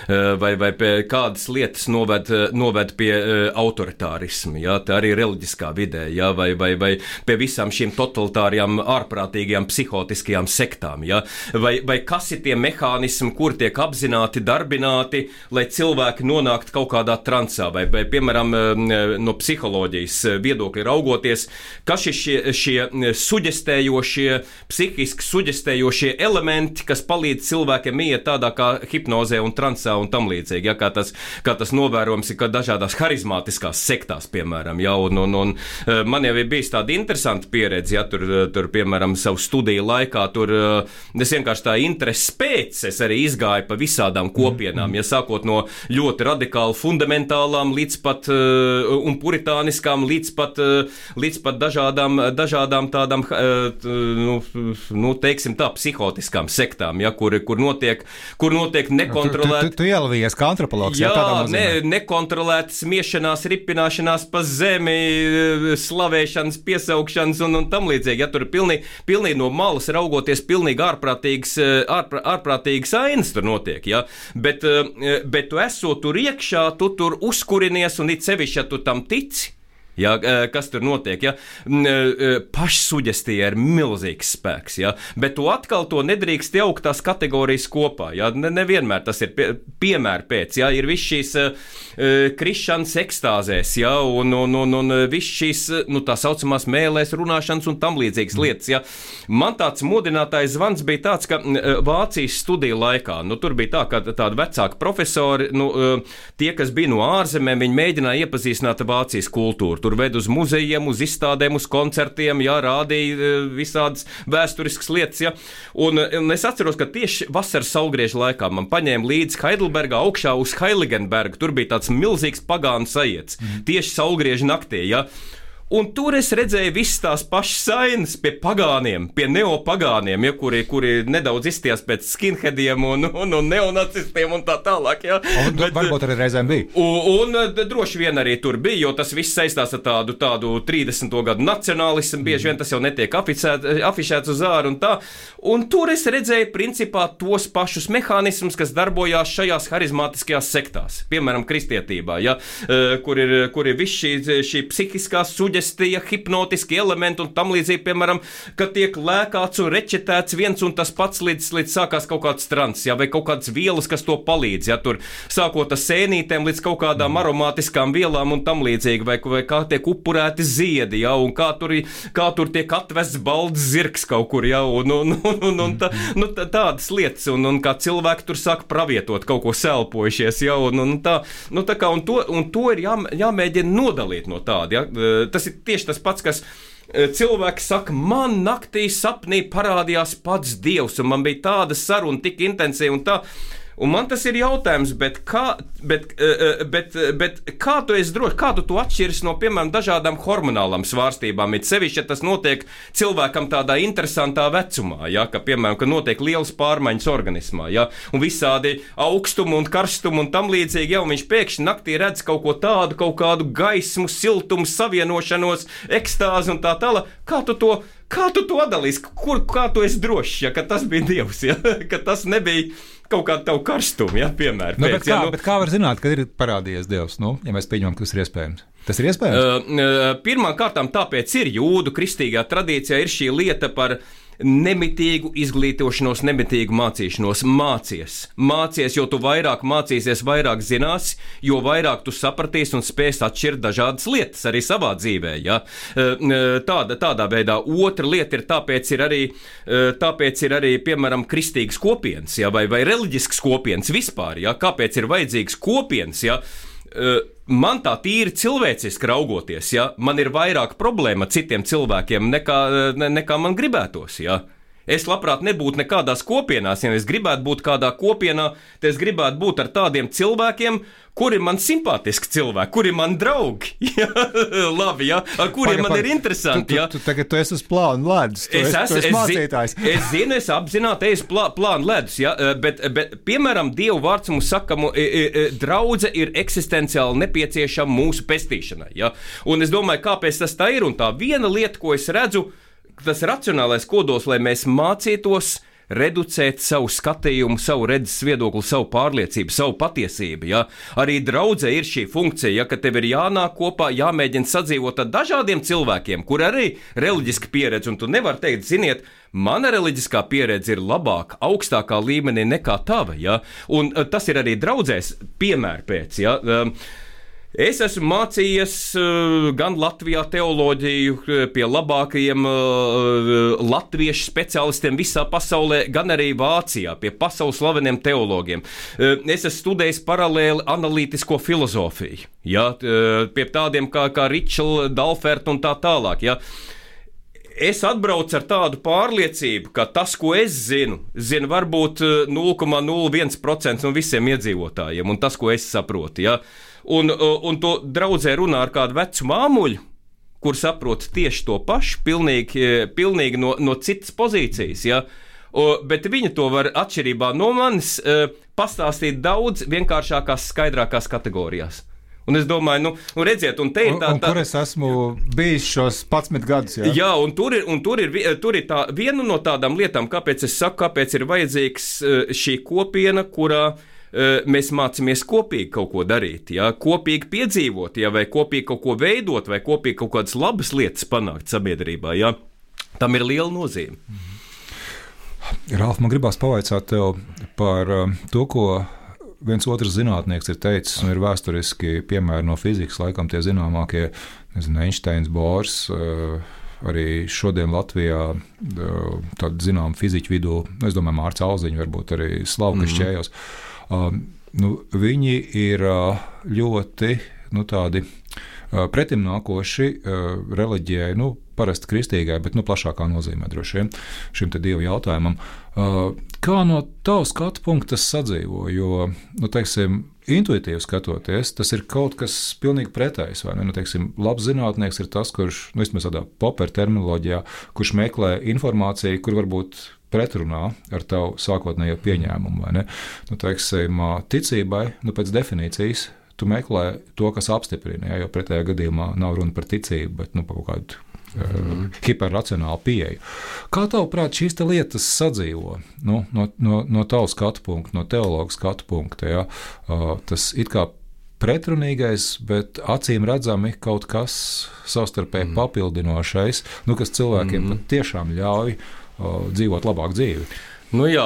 Vai, vai kādas lietas noved, noved pie uh, autoritārisma, ja, tā arī reliģiskā vidē, ja, vai, vai, vai pie visām šīm totalitārijām, ārprātīgajām, psihotiskajām sektām, ja, vai, vai kas ir tie mehānismi, kur tiek apzināti, darbināti, lai cilvēki nonāktu kaut kādā transā, vai, vai piemēram, no psiholoģijas viedokļa raugoties, kas ir šie, šie suģestējošie, psihiski suģestējošie elementi, kas palīdz cilvēkiem iet tādā kā hipnozē un transā un tam līdzīgi, ja, kā, tas, kā tas novērojams ir dažādās harizmātiskās sektās, piemēram, ja, un, un, un man jau ir bijis tāda interesanta pieredze, ja, tur, tur, piemēram, savu studiju laikā, tur es vienkārši tā intereses pēc, es arī izgāju pa visādām kopienām, ja, sākot no ļoti radikāli fundamentālām līdz pat un puritāniskām, līdz pat, līdz pat dažādām, dažādām tādām, nu, nu, teiksim tā, psihotiskām sektām, ja, kur, kur notiek, kur notiek nekontrolēt. Tu, tu, tu ielavījies kā antropologs, jā, jā, tādā nozīmē. Ne, nekontrolētas miešanās, ripināšanās pa zemi, slavēšanas, piesaukšanas un, un tam līdzīgi. Ja, tur ir pilnīgi, pilnīgi no malas raugoties, pilnīgi ārprātīgas, ārprā, ārprātīgas ainas tur notiek. Ja. Bet, bet tu esot tur iekšā, tu tur uzkurinies un it sevišķi, ja tu tam tici. Ja, kas tur notiek, ja? Pašsuģestija ir milzīgs spēks, ja? Bet tu atkal to nedrīkst jaukt tās kategorijas kopā, ja? Ne, nevienmēr tas ir pie, piemēra pēc, ja? Ir viss šīs uh, krišanas ekstāzēs, ja? un, un, un, un viss šīs, nu, tā saucamās mēlēs runāšanas un tam līdzīgas lietas, ja? Man tāds modinātājs zvans bija tāds, ka Vācijas studiju laikā, nu, tur bija tā, ka tādi vecāki profesori, nu, tie, kas bija no ārzemēm, viņi mēģināja iepazīstināt Vācijas kultūru. Tur ved uz muzejiem, uz izstādēm, uz koncertiem, jā, rādīja visādas vēsturiskas lietas, jā. Un, un es atceros, ka tieši vasaras saulgrieža laikā man paņēma līdz Heidelbergā augšā uz Heiligenbergu. Tur bija tāds milzīgs pagānu sajiets, mm. tieši saulgrieža naktī, jā. Un tur es redzēju visas tās pašas sainas pie pagāniem, pie neopagāniem, ja, kuri, kuri nedaudz izstījās pēc skinheadiem un, un, un neonacistiem un tā tālāk. Ja. Un Bet, varbūt arī reizēm bija. Un, un droši vien arī tur bija, jo tas viss saistās ar tādu, tādu trīsdesmito gadu nacionālismu, bieži vien tas jau netiek aficēt, afišēts uz āru un tā. Un tur es redzēju principā tos pašus mehānismus, kas darbojās šajās harizmātiskajās sektās, piemēram, kristietībā, ja, kur ir, kur ir viss šī, šī psihiskās suģi, hipnotiski elementi un tam līdzīgi, piemēram, ka tiek lēkāts un rečetēts viens un tas pats līdz, līdz sākās kaut kāds trans, ja, vai kaut kādas vielas, kas to palīdz, ja, tur sākot ar sēnītēm līdz kaut kādām aromātiskām vielām un tam līdzīgi, vai, vai kā tiek upurēti ziedi, ja, un kā tur, kā tur tiek atvests balds zirgs kaut kur, ja, un, un, un, un, un tā, nu, tā, tādas lietas, un, un kā cilvēki tur sāk pravietot kaut ko selpojušies, ja, un, un tā, nu, tā kā, un to, un to ir jā, jāmēģina nodalīt no tāda, ja, tas ir tieši tas pats, kas cilvēki saka, man naktī sapnī parādījās pats Dievs, un man bija tāda saruna tik intensīva un tā. Un man tas ir jautājums, bet kā, bet, bet, bet kā tu esi droši, kā tu to atšķiris no, piemēram, dažādām hormonālām svārstībām, it sevišķi, ja tas notiek cilvēkam tādā interesantā vecumā, ja, ka, piemēram, ka notiek lielas pārmaiņas organismā, ja, un visādi augstumu un karstumu un tam līdzīgi, ja, un viņš pēkšņi naktī redz kaut ko tādu, kaut kādu gaismu, siltumu, savienošanos, ekstāzi un tā tālāk, kā tu to, kā tu to atdalīsi, kur, kā tu esi drošs, ja, ka tas bija Dievs, ja, ka tas nebija kaut kādu tavu karstumu, ja, piemēram. Nu, pēc, bet, kā, ja, nu, bet kā var zināt, kad ir parādījies Dievs, nu, ja mēs pieņemam, ka tas ir iespējams? Tas ir iespējams? Uh, pirmām kārtām tāpēc ir jūdu kristīgā tradīcijā ir šī lieta par nemitīgu izglītošanos, nemitīgu mācīšanos. Mācies, mācies, jo tu vairāk mācīsies, vairāk zināsi, jo vairāk tu sapratīsi un spēsi atšķirt dažādas lietas arī savā dzīvē. Ja? Tāda, tādā veidā. Otra lieta ir tāpēc ir arī, tāpēc ir arī piemēram, kristīgas kopienas, ja? vai, vai reliģiskas kopienas vispār. Ja? Kāpēc ir vajadzīgas kopienas? Ja? Man tā tīri cilvēciski raugoties, ja, man ir vairāk problēma ar citiem cilvēkiem nekā, ne, nekā man gribētos. Ja. Es labprāt nebūtu nekādās kopienās, ja es gribētu būt kādā kopienā, tad es gribētu būt ar tādiem cilvēkiem, kuri man simpātiski cilvēki, kuri man draugi, ja, labi, ja, ar kuriem paga, man paga. Ir interesanti. Tu, ja. tu, tu, tagad tu esi uz plānu ledus, tu es esi, tu esi mācītājs. Es, es zinu, es apzināti eju uz plā, plānu ledus, ja, bet, bet, piemēram, Dievu vārds mums saka, draudze ir eksistenciāli nepieciešama mūsu pestīšanai. Ja. Un es domāju, kāpēc tas tā ir, un tā viena lieta, ko es redzu, tas racionālais kodols, lai mēs mācītos reducēt savu skatījumu, savu redzes viedokli, savu pārliecību, savu patiesību. Ja? Arī draudzē ir šī funkcija, ja, ka tev ir jānāk kopā, jāmēģina sadzīvot ar dažādiem cilvēkiem, kur arī reliģiska pieredze, un tu nevar teikt, ziniet, mana reliģiskā pieredze ir labāka, augstākā līmenī nekā tava. Ja? Un tas ir arī draudzēs piemēr pēc. Ja? Es esmu mācījies uh, gan Latvijā teoloģiju pie labākajiem uh, latviešu speciālistiem visā pasaulē, gan arī Vācijā pie pasaules slaveniem teologiem. Uh, es esmu studējis paralēli analītisko filozofiju, ja, uh, pie tādiem kā, kā Ričela, Dalferta un tā tālāk. Ja. Es atbraucu ar tādu pārliecību, ka tas, ko es zinu, zinu varbūt nulle komats nulle viens procents no visiem iedzīvotājiem, un tas, ko es saprotu. Ja. Un, un to draudzē runā ar kādu vecu māmuļu, kur saprot tieši to pašu, pilnīgi, pilnīgi no, no citas pozīcijas. Ja? O, bet viņa to var atšķirībā no manis pastāstīt daudz vienkāršākās, skaidrākās kategorijās. Un es domāju, nu, nu redziet, un te ir tā... Un, un kur es esmu bijis šos padsmit gadus, jā? Jā, un tur ir, un tur ir, tur ir tā viena no tādām lietām, kāpēc es saku, kāpēc ir vajadzīgs šī kopiena, kurā mēs mācāmies kopīgi kaut ko darīt, ja? Kopīgi piedzīvot, ja? Vai kopīgi kaut ko veidot, vai kopīgi kaut kādas labas lietas panākt sabiedrībā. Ja? Tam ir liela nozīme. Ralf, man gribās pavaicāt tev par to, ko viens otrs zinātnieks ir teicis, un ir vēsturiski piemēri no fizikas, laikam tie zināmākie, nezinu, Einsteins, Bohrs, arī šodien Latvijā tādu zinām fiziķu vidū, es domāju, Mārts Alziņu, varbūt arī Slavkas mm-hmm. Čējos. Uh, nu, viņi ir uh, ļoti nu, tādi uh, pretimnākoši uh, reliģijai, nu, parasti kristīgai, bet nu, plašākā nozīmē droši vien šim te dievu jautājumam. Uh, kā no tavas skatu punkta tas sadzīvo? Jo, nu, teiksim, intuitīvi skatoties, tas ir kaut kas pilnīgi pretējs. Vai ne? Nu, teiksim, labs zinātnieks ir tas, kurš, nu, vismaz tādā popper terminoloģijā, kurš meklē informāciju, kur varbūt pretrunā ar tavu sākotnējo pieņēmumu. Vai ne? Nu, teiksim, ticībai, nu, pēc definīcijas, tu meklē to, kas apstiprina, ja, jo pretējā gadījumā nav runa par ticību, bet nu, par kaut kādu mm. uh, hiperracionālu pieeju. Kā tavuprāt šīs te lietas sadzīvo? Nu, no, no, no tavu skatu punkta, no teologa skatu punkta, ja, uh, tas it kā pretrunīgais, bet acīm redzami kaut kas savstarpēji mm. papildinošais, nu, kas cilvēkiem mm. pat tiešām ļauj dzīvot labāku dzīvi. Nu jā,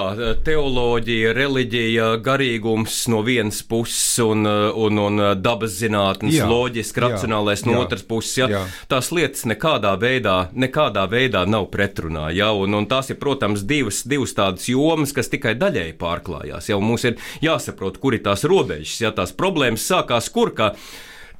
teoloģija, reliģija, garīgums no vienas puses un, un, un dabas zinātnes, jā, loģiski, racionālais jā, no otras puses. Ja? Jā. Tās lietas nekādā veidā, nekādā veidā nav pretrunā. Ja? Un, un tās ir, protams, divas, divas tādas jomas, kas tikai daļēji pārklājās. Ja? Un mums ir jāsaprot, kur ir tās robežas. Ja? Tās problēmas sākās kur, ka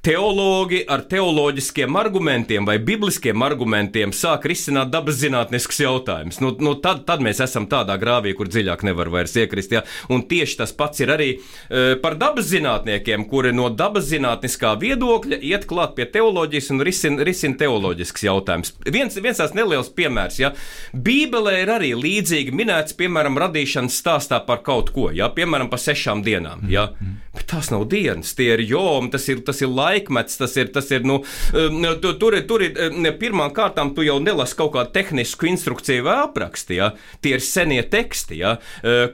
teologi ar teoloģiskiem argumentiem vai bibliskiem argumentiem sāk risināt dabas zinātniskus jautājumus. Nu, nu tad, tad mēs esam tādā grāvī, kur dziļāk nevar vairs iekrist. Ja? Un tieši tas pats ir arī e, par dabas zinātniekiem, kuri no dabas zinātniskā viedokļa iet klāt pie teoloģijas un risina risin teoloģisks jautājums. Viens, viens tās neliels piemērs. Ja? Bībelē ir arī līdzīgi minēts, piemēram, radīšanas stāstā par kaut ko, ja? Piemēram, par sešām dienām. Ja? Bet tās nav dienas, tie ir jomi, tas ir, tas ir laiks, laikmets, tas ir, tas ir, nu, tu, tur ir, tur ir, pirmām kārtām tu jau nelasi kaut kādu tehnisku instrukciju vai apraksti, ja? Tie ir senie teksti, ja?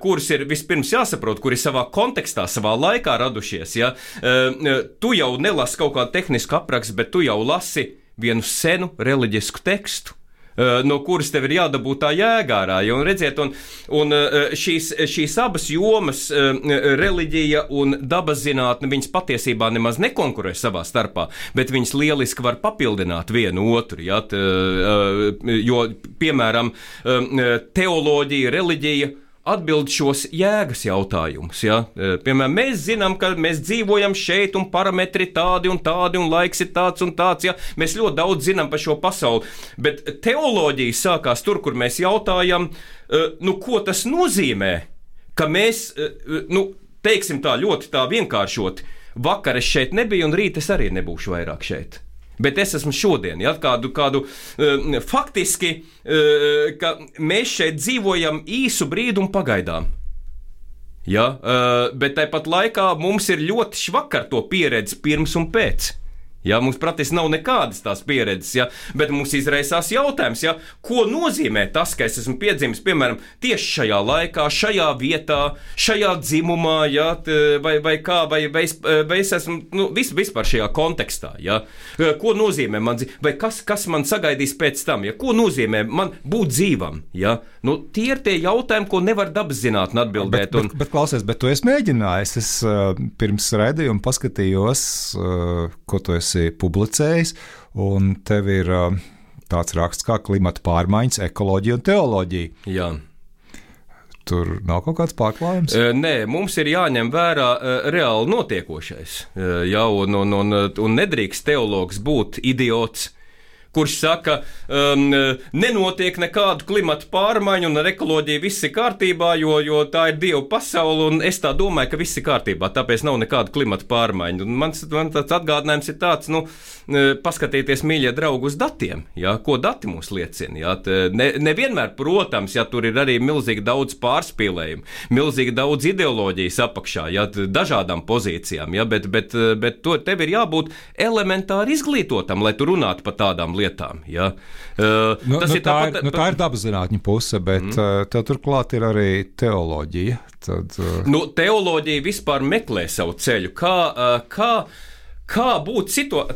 Kurus ir vispirms jāsaprot, kuri savā kontekstā, savā laikā radušies, ja? Tu jau nelasi kaut kādu tehnisku aprakstu, bet tu jau lasi vienu senu reliģisku tekstu, no kuras tev ir jādabūt tā jēgārā. Un, redziet, un, un šīs, šīs abas jomas, reliģija un dabas zinātne, viņas patiesībā nemaz nekonkurē savā starpā, bet viņas lieliski var papildināt vienu otru. Ja? Jo, piemēram, teoloģija, reliģija atbild šos jēgas jautājumus. Ja? Piemēram, mēs zinām, ka mēs dzīvojam šeit un parametri tādi un tādi un laiks ir tāds un tāds. Ja? Mēs ļoti daudz zinām par šo pasauli, bet teoloģija sākās tur, kur mēs jautājam, nu, ko tas nozīmē, ka mēs, nu, teiksim tā ļoti tā vienkāršoti, vakar es šeit nebiju un rīt es arī nebūšu vairāk šeit. Bet es esmu šodien, ja, kādu, kādu uh, faktiski, uh, ka mēs šeit dzīvojam īsu brīdi un pagaidām. Ja, uh, bet tāpat laikā mums ir ļoti švakar to pieredzi pirms un pēc. Ja, mums praktiski nav nekādas tās pieredzes, ja, bet mums izraisās jautājums, ja, ko nozīmē tas, ka es esmu piedzimis, piemēram, tieši šajā laikā, šajā vietā, šajā dzimumā, ja, vai, vai kā, vai, vai, es, vai es esmu nu, vis, vispār šajā kontekstā. Ja. Ko nozīmē man dzīve, vai kas, kas man sagaidīs pēc tam, ja, ko nozīmē man būt dzīvam. Ja. Nu, tie ir tie jautājumi, ko nevar dabas zinātne atbildēt. Bet, un... bet, bet klausies, bet tu esi mēģinājis, es uh, pirms raidījuma paskatījos, uh, ko tu esi publicējis, un tev ir uh, tāds raksts kā klimata pārmaiņas, ekoloģija un teoloģija. Jā. Tur nav kaut kāds pārklājums? Uh, nē, mums ir jāņem vērā uh, reāli notiekošais. Uh, jā, un, un, un, un nedrīkst teologs būt idiots, kurš saka, um, nenotiek nekādu klimatu pārmaiņu un ar ekoloģiju viss ir kārtībā, jo, jo tā ir Dieva pasaule, un es tā domāju, ka viss ir kārtībā, tāpēc nav nekādu klimatu pārmaiņu. Un mans, man tāds atgādinājums ir tāds, nu, paskatieties, mīļie draugi, uz datiem, ja, ko dati mums liecina. Ja. Ne, nevienmēr, protams, ja tur ir arī milzīgi daudz pārspīlējumu, milzīgi daudz ideoloģijas apakšā, ja, dažādām pozīcijām, ja, bet, bet, bet to, tev ir jābūt elementāri izglītotam, lai tu runātu par tādām lietām. Lietām, ja. uh, nu, tas nu, ir tā, tāpat, ir, nu, tā ir dabas zinātņu puse, bet mm. uh, tev turklāt ir arī teoloģija. Tad, uh... nu, teoloģija vispār meklē savu ceļu. Kā, uh, kā, kā būt cito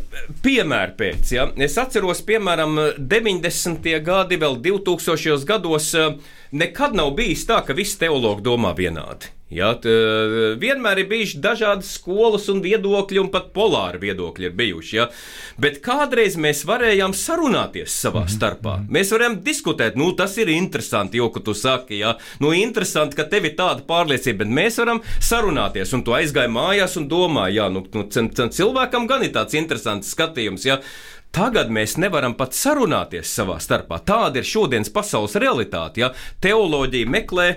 piemēru pēc? Ja? Es atceros, piemēram, deviņdesmitie gadi, vēl divtūkstošajos gados, uh, nekad nav bijis tā, ka visi teologi domā vienādi. Ja, t, vienmēr ir bijuši dažādas skolas un viedokļi, un pat polāri viedokļi ir bijuši. Ja. Bet kādreiz mēs varējām sarunāties savā starpā. Mēs varējām diskutēt, nu tas ir interesanti, jo, ka tu saki, ja, nu interesanti, ka tev ir tāda pārliecība, bet mēs varam sarunāties, un tu aizgāji mājās un domāji, jā, nu, nu cilvēkam gan ir tāds interesants skatījums, ja. Tagad mēs nevaram pat sarunāties savā starpā. Tāda ir šodienas pasaules realitāte, ja. Teoloģija meklē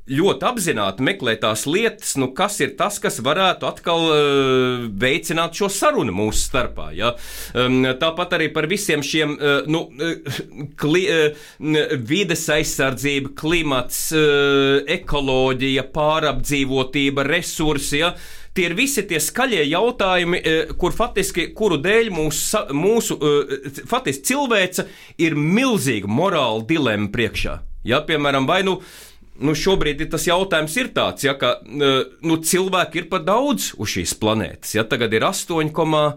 ļoti apzināti meklē tās lietas, nu, kas ir tas, kas varētu atkal uh, veicināt šo sarunu mūsu starpā. Ja? Um, tāpat arī par visiem šiem uh, nu, kli, uh, vides aizsardzība, klimats, uh, ekoloģija, pārapdzīvotība, resursi. Ja? Tie ir visi tie skaļie jautājumi, kur faktiski, kuru dēļ mūsu, mūsu faktiski cilvēce ir milzīga morāla dilemma priekšā. Ja? Piemēram, vai nu Nu, šobrīd tas jautājums ir tāds, ja, ka nu, cilvēki ir par daudz uz šīs planētas. Ja, tagad ir astoņi komā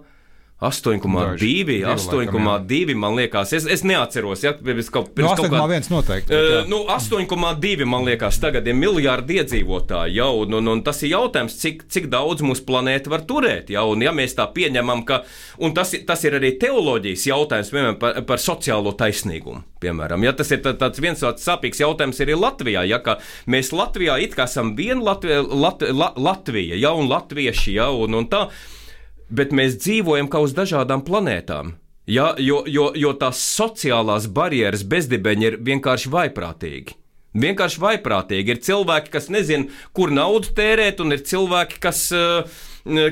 divi, astoņi komā divi, man liekas, es, es neatceros, ja, pirms kaut, pirms no, astoņi komā viens noteikti. Uh, nu, astoņi komā divi, man liekas, tagad ir miljārdi iedzīvotāji, ja, un, un, un tas ir jautājums, cik, cik daudz mūsu planēta var turēt, ja, un ja mēs tā pieņemam, ka, un tas, tas ir arī teoloģijas jautājums, piemēram, par, par sociālo taisnīgumu, piemēram, ja, tas ir tā, tāds viens tāds sāpīgs jautājums arī Latvijā, ja, ka mēs Latvijā it kā esam viena Latvija, Lat, La, Latvija, ja, un latvieši, ja, un, un tā, bet mēs dzīvojam kā uz dažādām planētām, ja, jo, jo, jo tās sociālās barjeras bezdibeņi ir vienkārši vaiprātīgi. Vienkārši vaiprātīgi. Ir cilvēki, kas nezina, kur naudu tērēt, un ir cilvēki, kas,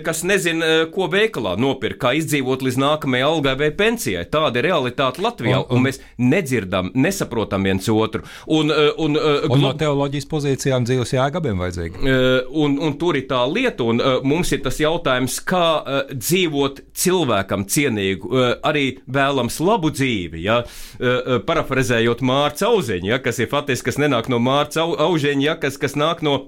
kas nezina, ko veikalā nopirkt, kā izdzīvot līdz nākamajai algai vai pensijai. Tāda ir realitāte Latvijā, un, un, un mēs nedzirdam, nesaprotam viens otru. Un, un, un glo... no teoloģijas pozīcijām dzīves jēgabiem vajadzīgi. Un, un tur ir tā lieta, un mums ir tas jautājums, kā dzīvot cilvēkam cienīgu, arī vēlams labu dzīvi, ja? Parafrazējot Mārca Auziņu, ja? Kas ir faktiski, kas nenāk no Mārca Auziņa, ja? kas, kas nāk no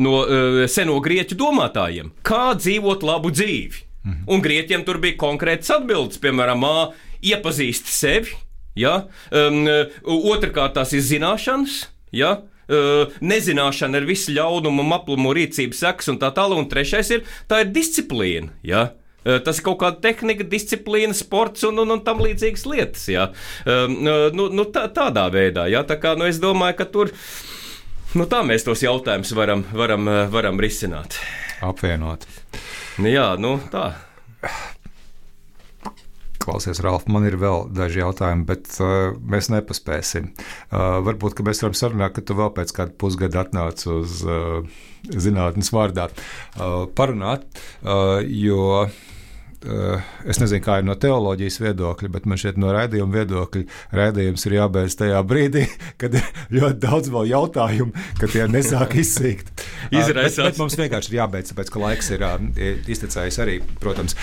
no uh, seno grieķu domātājiem, kā dzīvot labu dzīvi. Mhm. Un grieķiem tur bija konkrētas atbildes, piemēram, ā, iepazīsti sevi, ja? um, otrkārt tās ir zināšanas, ja? uh, nezināšana ir visu ļaunumu, aplumu, rīcības sekas un tā tālāk, un trešais ir, tā ir disciplīna, ja? uh, tas ir kaut kāda tehnika, disciplīna, sports un, un, un tam līdzīgas lietas, ja? um, nu, nu, tā, tādā veidā, ja? Tā kā, nu, es domāju, ka tur Nu, tā mēs tos jautājumus varam, varam, varam risināt. Apvienot. Jā, nu tā. Klausies, Ralf, man ir vēl daži jautājumi, bet uh, mēs nepaspēsim. Uh, varbūt, ka mēs varam sarunāt, ka tu vēl pēc kāda pusgada atnāc uz uh, zinātnes vārdā uh, parunāt, uh, jo es nezinu, kā ir no teoloģijas viedokļa, bet man šeit no raidījuma viedokļa raidījums ir jābeidz tajā brīdī, kad ir ļoti daudz vēl jautājumu, ka tie nesāk izsīkt. Izraisās. Bet, bet mums vienkārši ir jābeidz, tāpēc, ka laiks ir iztecējis arī, protams.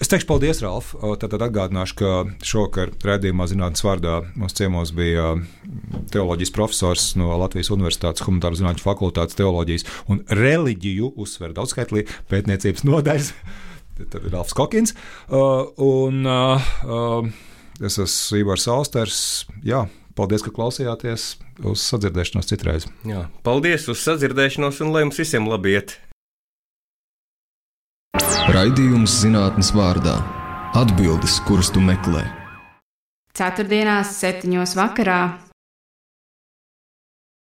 Es teikšu paldies, Ralf. Tad atgādināšu, ka šokar raidījumā zinātnes vārdā mums ciemos bija teoloģijas profesors no Latvijas Universitātes Humanitāro zinātņu fakultātes teoloģijas un reliģiju uzsver daudzskaitlī pētniecības nodaļas. Tad ir Ralfs Kokins, uh, un uh, uh, es esmu Ivars Austers. Jā, paldies, ka klausījāties. Uz sadzirdēšanos citreiz. Jā, paldies uz sadzirdēšanos, un lai mums visiem labi iet. Raidījums zinātnes vārdā. Atbildes, kuras tu meklē. Ceturtdienās septiņos vakarā